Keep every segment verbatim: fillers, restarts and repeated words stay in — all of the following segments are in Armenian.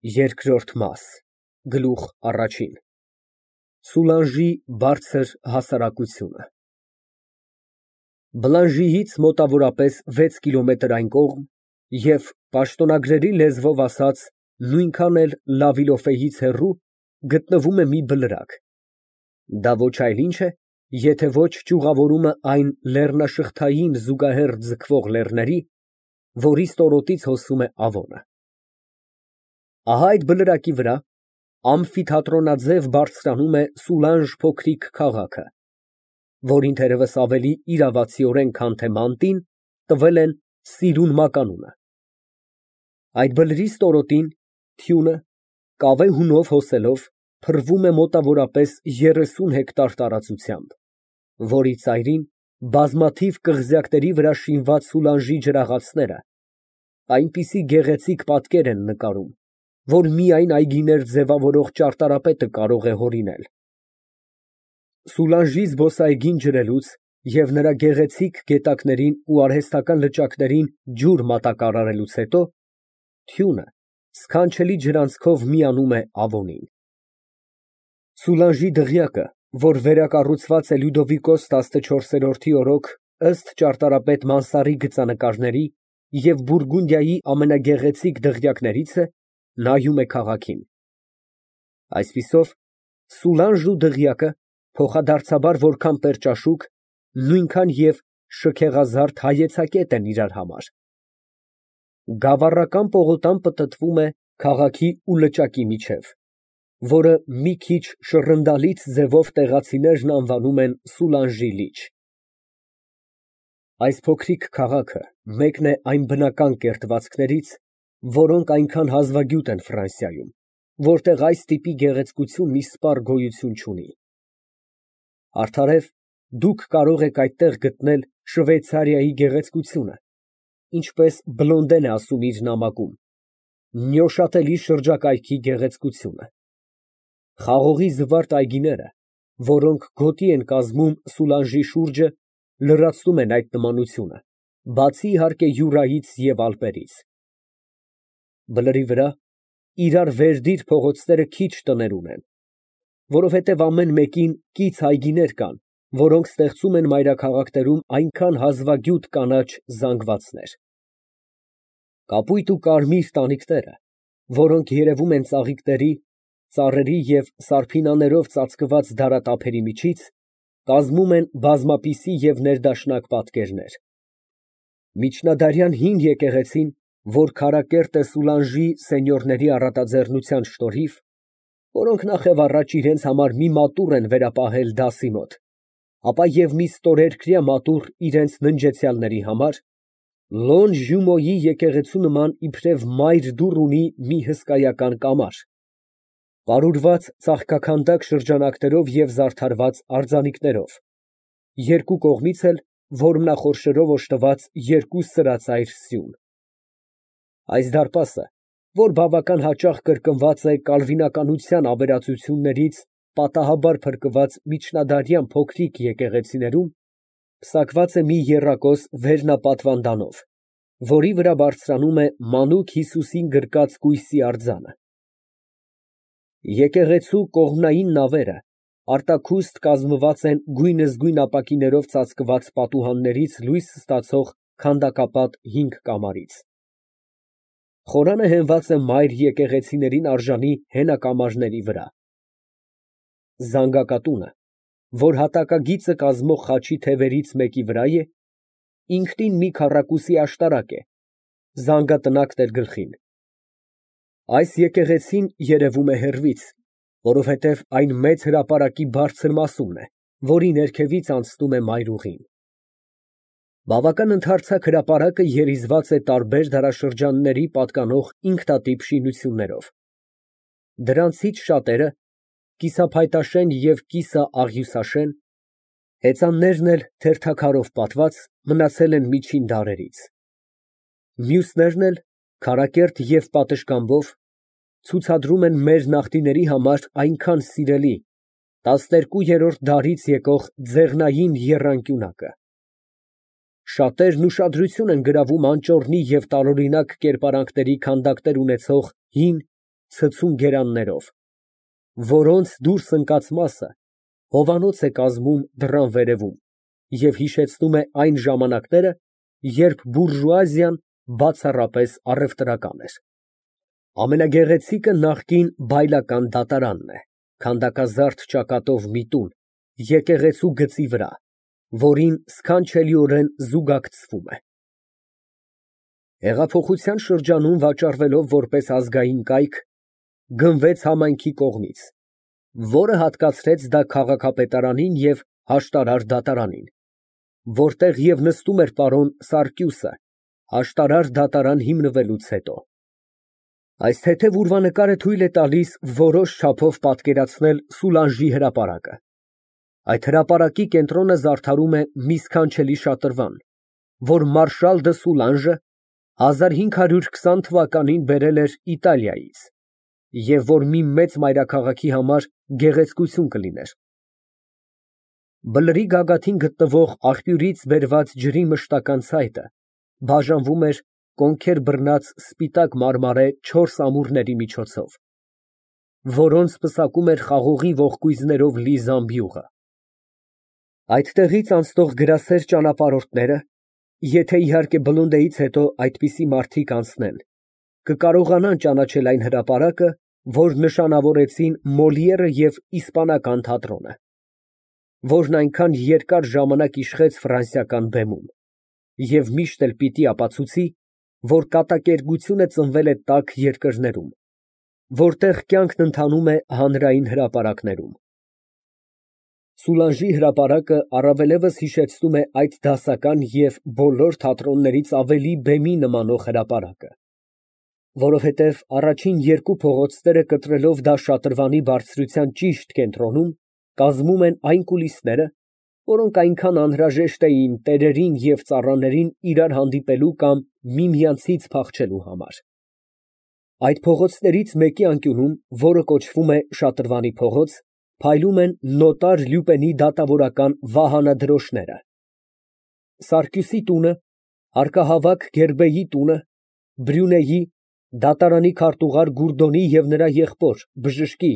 Երկրորդ մաս Գլուխ առաջին Սուլանժի բարձր հասարակությունը Բլանժիից մոտավորապես վեց կիլոմետր այն կողմ և, պաշտոնագրերի լեզվով ասած, նույնքան էլ Լավիլոֆեից հեռու, գտնվում է մի բլրակ, դա ոչ այլ ինչ է, եթե ոչ ճյուղավորումը այն լեռնաշղթային զուգահեռ ձգվող լեռների, որի ստորոտից հոսում է Ավոնը։ Ահա այդ բլրակի վրա ամֆիթատրոնաձև բարձրանում է Սուլանժ փոքրիկ քաղաքը, որին թերևս ավելի իրավացիորեն, քան թե մանտին, տվել են Սիրուն մականունը։ Այդ բլրի ստորոտին թյունը, կավե հունով հոսելով, փռվում է մոտավորապես երեսուն հեկտար տարածությամբ, որի ծայրին բազմաթիվ կղզյակների վրա շինված Սուլանժի ջրաղացները այնպիսի գեղեցիկ պատկեր են նկարում, որ միայն այգիներ ձևավորող ճարտարապետը կարող է հորինել։ Սուլանժի զբոսայգին ջրելուց և նրա գեղեցիկ գետակներին ու արհեստական լճակներին ջուր մատակարարելուց հետո, թյունը սքանչելի ջրանցքով միանում է Ավոնին։ Սուլանժի դղյակը, որ վերակառուցված է Լյուդովիկոս տասնչորսերորդի օրոք ըստ ճարտարապետ Մանսարի գծանկարների և Բուրգունդիայի ամենագեղեցիկ դղյակներից է, նայում է քաղաքին։ Այսպիսով, Սուլանժն ու դղյակը փոխադարձաբար որքան պերճաշուք, նույնքան և շքեղազարդ հայեցակետ են իրար համար։ Գավառական պողոտան պտտվում է քաղաքի ու լճակի միջև, որը մի քիչ շռնդալից ձևով տեղացիներն անվանում են Սուլանժի լիճ։ Այս փոքրիկ քաղաքը մեկն է այն բնական կերտվածքներից, որոնք այնքան հազվագյուտ են Ֆրանսիայում, որտեղ այս տիպի գեղեցկությունն իսպառ գոյություն չունի։ Արդարև, դուք կարող եք այդտեղ գտնել Շվեյցարիայի գեղեցկությունը, ինչպես Բլոնդեն է ասում իր նամակում, նյոշատելի շրջակայքի գեղեցկությունը։ Խաղողի զվարթ այգիները, որոնք գոտի են կազմում Սուլանժի շուրջը, լրացնում են այդ նմանությունը, բացի իհարկե Յուրայից և Ալպերից։ Բլրի վրա իրար վերդիր փողոցները քիչ տներ ունեն, որովհետև ամեն մեկին կից այգիներ կան, որոնք ստեղծում են մայրաքաղաքներում այնքան հազվագյուտ կանաչ զանգվածներ։ Կապույտ ու կարմիր տանիքները, որոնք երևում են ծաղիկների, ծառերի և սարփինաներով ծածկված դարատափերի միջից, կազմում են բազմապիսի և ներդաշնակ պատկերներ։ Միջնադարյան հին եկեղեցին, որ քարակերտ է Սուլանժի սենյորների առատաձեռնության շնորհիվ, որոնք նախևառաջ իրենց համար մի մատուռ են վերապահել դասի մոտ, ապա և մի ստորերկրյա մատուռ իրենց ննջեցյալների համար, Լոն Ժումոյի եկեղեցու նման իբրև մայր դուռ ունի մի հսկայական կամար, պարուրված ծաղկաքանդակ շրջանակներով և զարդարված արձանիկներով, երկու կողմից էլ որմնախորշերով օժտված երկու սրածայր սյուն։ Այս դարպասը, որ բավական հաճախ կրկնված է կալվինականության ավերածություններից պատահաբար փրկված միջնադարյան փոքրիկ եկեղեցիներում, պսակված է մի եռակոս վերնապատվանդանով, որի վրա բարձրանում է մանուկ Հիսուսին գրկած կույսի արձանը։ Եկեղեցու կողմնային նավերը արտաքուստ կազմված են գույնզգույն ապակիներով ծածկված պատուհաններից լույս ստացող քանդակապատ հինգ կամարից։ Խորանը հենված է մայր եկեղեցիներին արժանի հենակամարների վրա։ Զանգակատունը, որ հատակագիծը կազմող խաչի թևերից մեկի վրա է, ինքնին մի քառակուսի աշտարակ է, զանգատնակն էլ գլխին։ Այս եկեղեցին երևում է հեռվից, որովհետև այն մեծ հրապարակի բարձր մասումն է, որի ներքևից անցնում է մայրուղին։ Բավական ընդարձակ հրապարակը երիզված է տարբեր դարաշրջանների պատկանող ինքնատիպ շինություններով։ Դրանցից շատերը կիսափայտաշեն և կիսաաղյուսաշեն, հեծաններն էլ թերթաքարով պատված, մնացել են միջին դարերից։ Մյուսներն էլ, քարակերտ և պատշգամբով, ցուցադրում են մեր նախնիների համար այնքան սիրելի տասներկուերորդ դարից եկող ձեղնային եռանկյունակը։ Շատերն ուշադրություն են գրավում անճոռնի և տարօրինակ կերպարանքների քանդակներ ունեցող հին, ցցուն գերաններով, որոնց դուրս ընկած մասը հովանոց է կազմում դռան վերևում և հիշեցնում է այն ժամանակները, երբ բուրժուազիան բացառապես առևտրական էր։ Ամենագեղեցիկը նախկին Բայլական դատարանն է, քանդակազարդ ճակատով մի տուն, եկեղեցու գծի վրա, որին սքանչելիորեն զուգակցվում է։ Հեղափոխության շրջանում վաճառվելով որպես ազգային կայք, գնվեց համայնքի կողմից, որը հատկացրեց դա քաղաքապետարանին և հաշտարար դատարանին, որտեղ և նստում էր պարոն Սարկյուսը հաշտարար դատարան հիմնվելուց հետո։ Այս թեթև ուրվանկարը թույլ է տալիս որոշ չափով պատկերացնել Սուլանժի հրապարակը։ Այդ հրապարակի կենտրոնը զարդարում է մի սքանչելի շատրվան, որ մարշալ դը Սուլանժը հազար հինգ հարյուր քսան թվականին բերել էր Իտալիայից և որ մի մեծ մայրաքաղաքի համար գեղեցկություն կլիներ։ Բլրի գագաթին գտնվող աղբյուրից բերված ջրի մշտական ցայտը բաժանվում էր կոնքեր բռնած սպիտակ մարմարե չորս ամուրների միջոցով, որոնց պսակում էր խաղողի ողկույզներով լի զամբյուղը։ Այդտեղից անցնող գրասեր ճանապարհորդները, եթե իհարկե Բլոնդեից հետո այդպիսի մարդիկ անցնեն, կկարողանան ճանաչել այն հրապարակը, որ նշանավորեցին Մոլիերը և իսպանական թատրոնը, որն այնքան երկար ժամանակ իշխեց ֆրանսիական բեմում, և միշտ էլ պիտի ապացուցի, որ կատակերգությունը ծնվել է տաք երկրներում, որտեղ կյանքն ընթանում է հանրային հրապարակներում։ Սուլանժի հրապարակը առավելևս հիշեցնում է այդ դասական և բոլոր թատրոններից ավելի բեմի նմանող հրապարակը, որովհետև առաջին երկու փողոցները կտրելով դա շատրվանի բարձրության ճիշտ կենտրոնում, կազմում են այն կուլիսները, որոնք այնքան անհրաժեշտ էին տերերին և ծառաներին իրար հանդիպելու կամ միմյանցից փախչելու համար։ Այդ փողոցներից մեկի անկյունում, որը կոչվում է Շատրվանի փողոց, փայլում են նոտար Լյուպենի դատավորական վահանադրոշները, Սարկյուսի տունը, հարկահավաք Գերբեի տունը, Բրյունեի, դատարանի քարտուղար Գուրդոնի և նրա եղբոր բժշկի,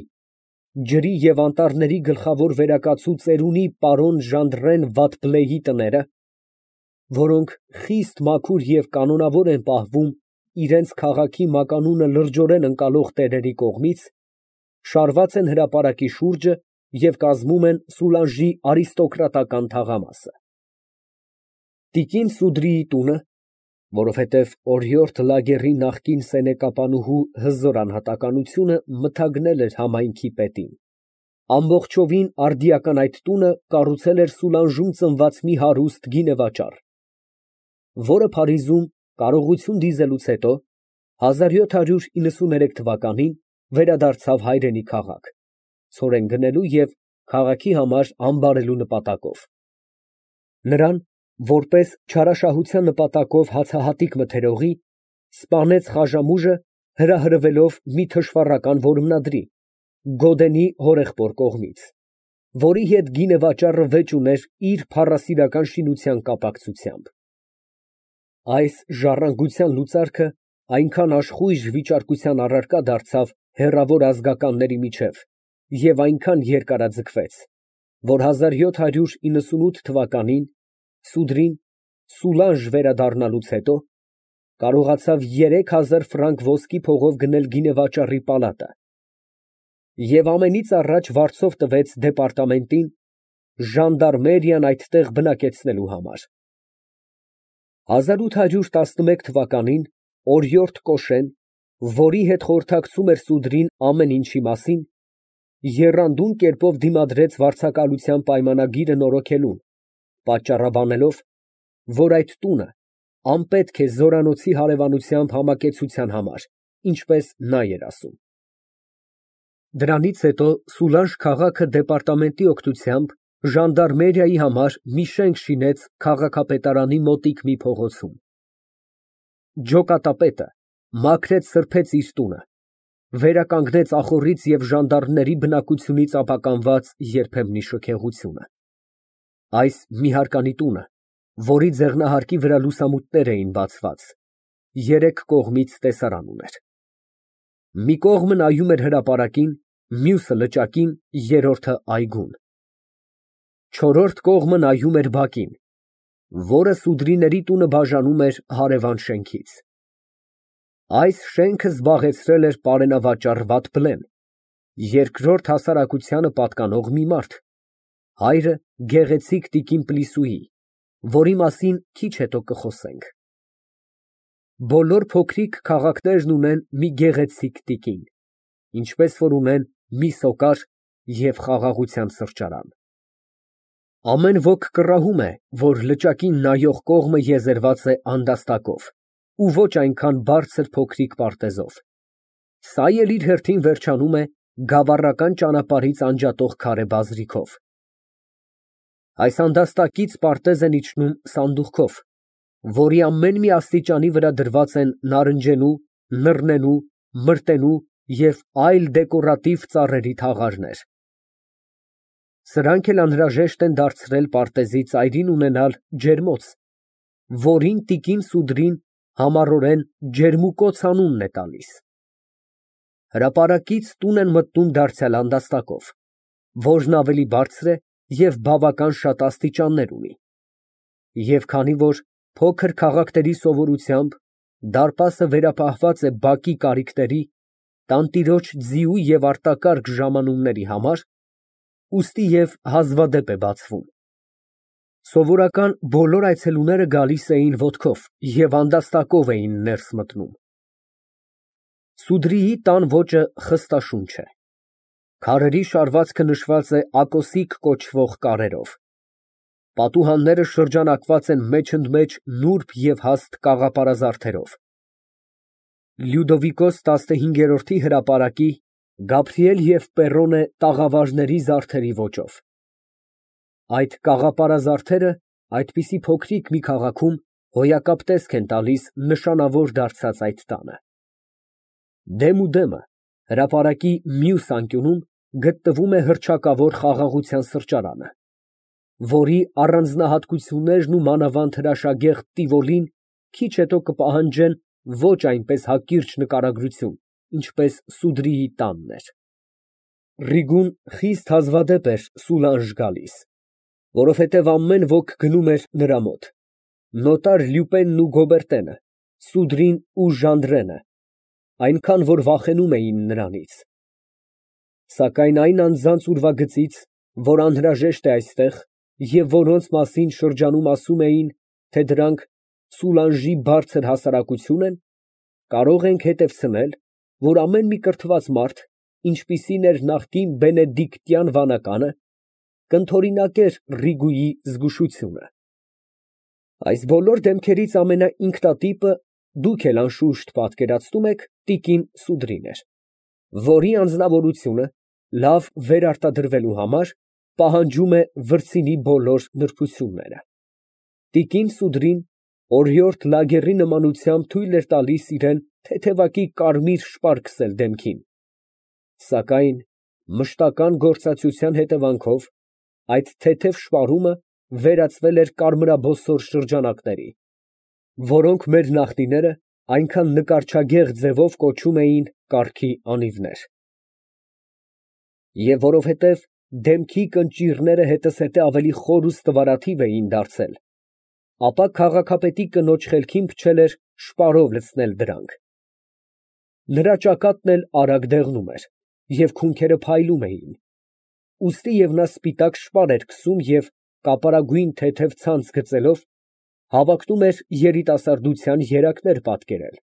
ջրի և անտառների գլխավոր վերակացու ծերունի պարոն Ժանդռեն Վատբլեի տները, որոնք խիստ մաքուր և կանոնավոր են պահվում իրենց քաղաքի մականունը լրջորեն ընկալող տերերի կողմից, շարված են հրապարակի շուրջը և կազմում են Սուլանժի արիստոկրատական թաղամասը։ Տիկին Սուդրիի տունը, որովհետև օրիորդ լագերի նախկին սենեկապանուհու հզոր անհատականությունը մթագնել էր համայնքի պետին, ամբողջովին արդիական այդ տունը կառուցել էր Սուլանժում ծնված մի հարուստ գինեվաճառ, որը Փարիզում կարողություն դիզելուց հետո հազար յոթ հարյուր իննսուներեք թվականին վերադարձավ հայրենի քաղաք, ցորեն գնելու և քաղաքի համար ամբարելու նպատակով։ Նրան, որպես չարաշահության նպատակով հացահատիկ մթերողի, սպանեց Խաժամուժը, հրահրվելով մի թշվառական որմնադրի, Գոդենի հորեղբոր կողմից, որի հետ գինեվաճառը վեճ ուներ իր փառասիրական շինության կապակցությամբ։ Այս ժառանգության լուծարքը այնքան աշխույժ վիճարկության առարկա դարձավ հեռավոր ազգականների միջև և այնքան երկարաձգվեց, որ հազար յոթ հարյուր իննսունութ թվականին Սուդրին Սուլանժ վերադառնալուց հետո կարողացավ երեք հազար ֆրանկ ոսկի փողով գնել գինեվաճառի պալատը և ամենից առաջ վարձով տվեց դեպարտամենտին, ժանդարմերիան այդտեղ բնակեցնելու համար։ հազար ութ հարյուր տասնմեկ թվականին օրիորդ Կոշեն, որի հետ խորհրդակցում էր Սուդրին ամեն ինչի մասին, եռանդուն կերպով դիմադրեց վարձակալության պայմանագիրը նորոգելուն, պատճառաբանելով, որ այդ տունը անպետք է զորանոցի հարևանությամբ համակեցության համար, ինչպես նա էր ասում։ Դրանից հետո Սուլանժ քաղաքը դեպարտամենտի օգնությամբ ժանդարմերիայի համար մի շենք շինեց քաղաքապետարանի մոտիկ մի փողոցում։ Ջոկատապետը մաքրեց սրբեց իր տունը, վերականգնեց ախոռից և ժանդարմների բնակությունից ապականված երբեմնի շքեղությունը։ Այս մի հարկանի տունը, որի ձեղնահարկի վրա լուսամուտներ էին բացված, երեք կողմից տեսարան ուներ։ Մի կողմը նայում էր հրապարակին, մյուսը լճակին, երրորդը այգուն։ Չորրորդ կողմը նայում էր բակին, որը սուդրիների տունը բաժանում էր հարևան շենքից։ Այս շենքը զբաղեցրել էր պարենավաճառ Վաթփլեն, երկրորդ հասարակությանը պատկանող մի մարդ, հայրը գեղեցիկ տիկին Պլիսուի, որի մասին քիչ հետո կխոսենք։ Բոլոր փոքրիկ քաղաքներն ունեն մի գեղեցիկ տիկին, ինչպես որ ունեն մի սոկար և խաղաղության սրճարան։ Ամեն ոք կռահում է, որ լճակին նայող կողմը եզերված է անդաստակով ու ոչ այնքան բարձր փոքրիկ պարտեզով, սա էլ իր հերթին վերջանում է գավառական ճանապարհից անջատող քարե բազրիքով։ Այս անդաստակից պարտեզ են իջնում սանդուղքով, որի ամեն մի աստիճանի վրա դրված են նարնջենու, նռնենու, մրտենու և այլ դեկորատիվ ծառերի թաղարներ։ Սրանք էլ անհրաժեշտ են դարձրել պարտեզի ծայրին ունենալ ջերմոց, որին տիկին Սուդրին համառորեն ջերմուկոծ անունն է տալիս։ Հրապարակից տուն են մտնում դարձյալ անդաստակով, որն ավելի բարձր է և բավական շատ աստիճաններ ունի, և քանի որ փոքր քաղաքների սովորությամբ դարպասը վերապահված է բակի կարիքների, տանտիրոջ ձիու և արտակարգ ժամանումների համար, ուստի և հազվադեպ է բացվում։ Սովորական բոլոր այցելուները գալիս էին ոտքով և անդաստակով էին ներս մտնում։ Սուդրիի տան ոճը խստաշունչ է։ Քարերի շարվածքը նշված է ակոսիկ կոչվող կարերով։ Պատուհանները շրջանակված են մեջընդմեջ նուրբ և հաստ կաղապարազարդերով։ Լյուդովիկոս տասնհինգերորդի հրապարակի Գաբրիել և Պեռոնե տաղավարների զարդերի ոճով։ Այդ կաղապարազարդերը այդպիսի փոքրիկ մի քաղաքում հոյակապ տեսք են տալիս նշանավոր դարձած այդ տանը։ Դեմուդեմը, հրապարակի մյուս անկյունում, գտնվում է հռչակավոր խաղաղության սրճարանը, որի առանձնահատկություններն ու մանավանդ հրաշագեղ Տիվոլին քիչ հետո կպահանջեն ոչ այնպես հակիրճ նկարագրություն, ինչպես Սուդրիի տանն էր։ Ռիգուն խիստ հազվադեպ էր Սուլանժ գալիս, որովհետև ամեն ոք գնում էր նրա մոտ, նոտար Լյուպենն ու Գոբերտենը, Սուդրին ու Ժանդրենը, այնքան, որ վախենում էին նրանից։ Սակայն այն անձանց ուրվագծից, որ անհրաժեշտ է այստեղ և որոնց մասին շրջանում ասում էին, թե դրանք Սուլանժի բարձր հասարակություն են, կարող ենք հետևցնել, որ ամեն մի կրթված մարդ, ինչպիսին էր նախկին բենեդիկտյան վանականը, կընդօրինակեր Ռիգուի զգուշությունը։ Այս բոլոր դեմքերից ամենաինքնատիպը, դուք էլ անշուշտ պատկերացնում եք, տիկին Սուդրին էր, որի անձնավորությունը լավ վերարտադրվելու համար պահանջում է վրձինի բոլոր նրբությունները։ Տիկին Սուդրին օրիորդ լագերի նմանությամբ թույլ էր տալիս իրան թեթևակի կարմիր շպար քսել դեմքին, սակայն մշտական գործակցության հետևանքով այդ թեթև շպարումը վերածվել էր կարմրաբոսոր շրջանակների, որոնք մեր նախնիները այնքան նկարչագեղ ձևով կոչում էին կառքի անիվներ։ Եվ որովհետև դեմքի կնճիռները հետզհետե ավելի խոր ու ստվարաթիվ էին դարձել, ապա քաղաքապետի կնոջ խելքին փչել էր շպարով լցնել դրանք։ Նրա ճակատն էլ արագ դեղնում էր, և քունքերը փայլում էին, ուստի և նա սպիտակ շպար էր քսում և, կապարագույն թեթև ցանց գծելով, հավակնում էր երիտասարդության երակներ պատկերել։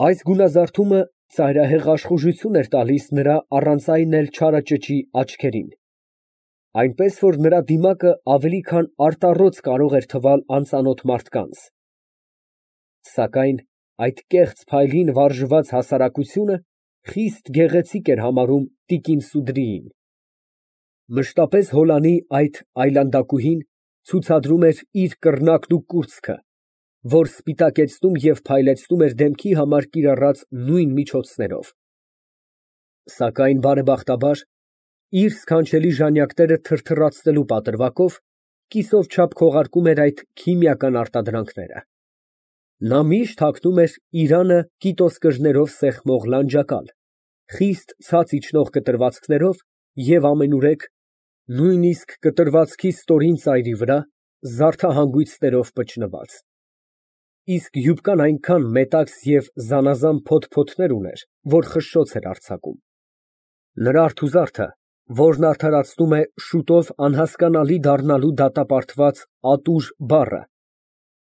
Այս գունազարդումը ծայրահեղ աշխուժություն էր տալիս նրա առանց այն էլ չարաճճի աչքերին, այնպես որ նրա դիմակը ավելի քան արտառոց կարող էր թվալ անծանոթ մարդկանց։ Սակայն այդ կեղծ փայլին վարժված հասարակությունը խիստ գեղեցիկ էր համարում տիկին Սուդրիին։ Մշտապես Հոլանի այդ այլանդակուհին ցուցադրում էր իր կռնակն ու կուրծքը, որ սպիտակեցնում և փայլեցնում էր դեմքի համար կիրառած նույն միջոցներով։ Սակայն բարեբախտաբար, իր սքանչելի ժանյակները թրթռացնելու պատրվակով, կիսով չափ քողարկում էր այդ քիմիական արտադրանքները։ Նա միշտ հագնում էր իրանը կիտոսկրներով սեղմող լանջակալ, խիստ ցած իջնող կտրվածքներով և ամենուրեք, նույնիսկ կտրվածքի ստորին ծայրի վրա, զարդահանգույցներով պճնված, իսկ յուբկան այնքան մետաքս և զանազան փոթփոթներ ուներ, որ խշշոց էր արձակում։ Նրա արթուզարդը, որն արդարացնում է շուտով անհասկանալի դառնալու դատապարտված «ատուր» բառը,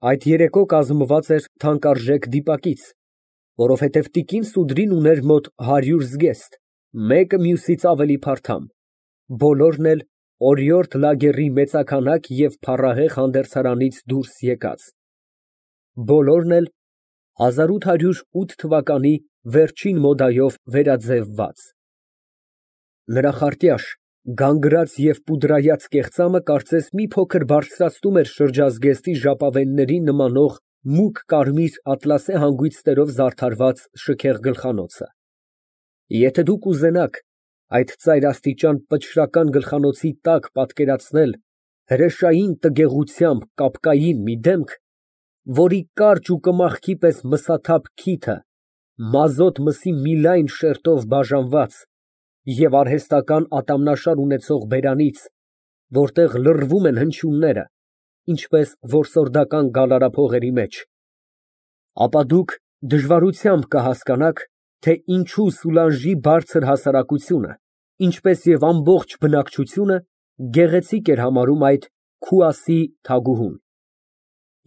այդ երեկո կազմված էր թանկարժեք դիպակից, որովհետև տիկին Սուդրին ուներ մոտ հարյուր զգեստ, մեկը մյուսից ավելի փարթամ, բոլորն էլ օրիորդ լագերի մեծաքանակ և փառահեղ հանդերձարանից դուրս եկած, բոլորն էլ հազար ութ հարյուր ութ թվականի վերջին մոդայով վերաձևված։ Նրա խարտյաշ, գանգրած և պուդրայած կեղծամը կարծես մի փոքր բարձրացնում էր շրջազգեստի ժապավեններին նմանող մուգ կարմիր ատլասե հանգույցներով զարդարված շքեղ գլխանոցը։ Եթե դուք ուզենաք այդ ծայրաստիճան պճռական գլխանոցի տակ պատկերացնել հրեշային տգեղությամբ կապկային մի դեմք, որի կարճ ու կմախքի պես մսաթափ քիթը մազոտ մսի մի լայն շերտով բաժանված և արհեստական ատամնաշար ունեցող բերանից, որտեղ լռվում են հնչյունները, ինչպես որսորդական գալարափողերի մեջ, ապա դուք դժվարությամբ կհասկանաք, թե ինչու Սուլանժի բարձր հասարակությունը, ինչպես և ամբողջ բնակչությունը գեղեցիկ էր համարում այդ քուասի թագուհուն,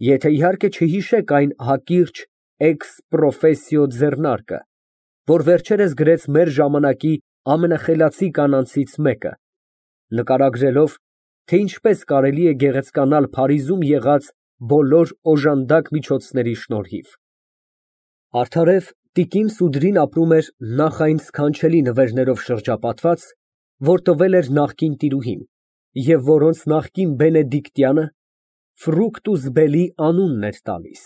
եթե իհարկե չհիշեք այն հակիրճ էքս պրոֆեսիո ձեռնարկը, որ վերջերս գրեց մեր ժամանակի ամենախելացի կանանցից մեկը, նկարագրելով, թե ինչպես կարելի է գեղեցկանալ Փարիզում եղած բոլոր օժանդակ միջոցների շնորհիվ։ Արդարև տիկին Սուդրին ապրում էր նախ այն սքանչելի նվերներով շրջապատված, որ տվել էր նախկին տիրուհին, և որոնց նախկին Բենեդիկտյանը Ֆրուկտուս Բելի անունն էր տալիս։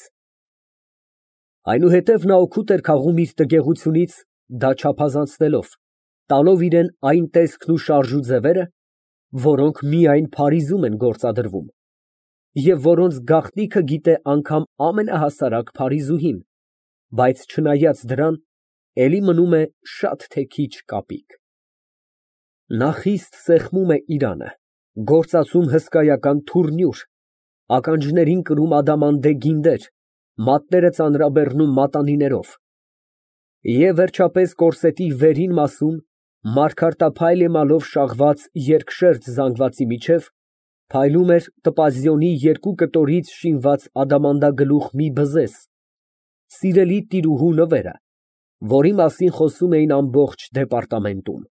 Այնուհետև նա օգուտ էր քաղում իր տգեղությունից, դա չափազանցնելով, տալով իրան այն տեսքն ու շարժ ու ձևերը, որոնք միայն Փարիզում են գործադրվում, և որոնց գաղտնիքը գիտե անգամ ամենահասարակ փարիզուհին, բայց չնայած դրան, էլի մնում է շատ թե քիչ կապիկ։ Նա խիստ սեղմում է իրանը, գործածում հսկայական թուռնյուր, ականջներին կրում ադամանդե գինդեր, մատները ծանրաբեռնում մատանիներով և, վերջապես, կորսետի վերին մասում մարգարտափայլ էմալով շաղված երկշերտ զանգվածի միջև փայլում էր տպազիոնի երկու կտորից շինված ադամանդագլուխ մի բզեզ, սիրելի տիրուհու նվերը, որի մասին խոսում էին ամբողջ դեպարտամենտում։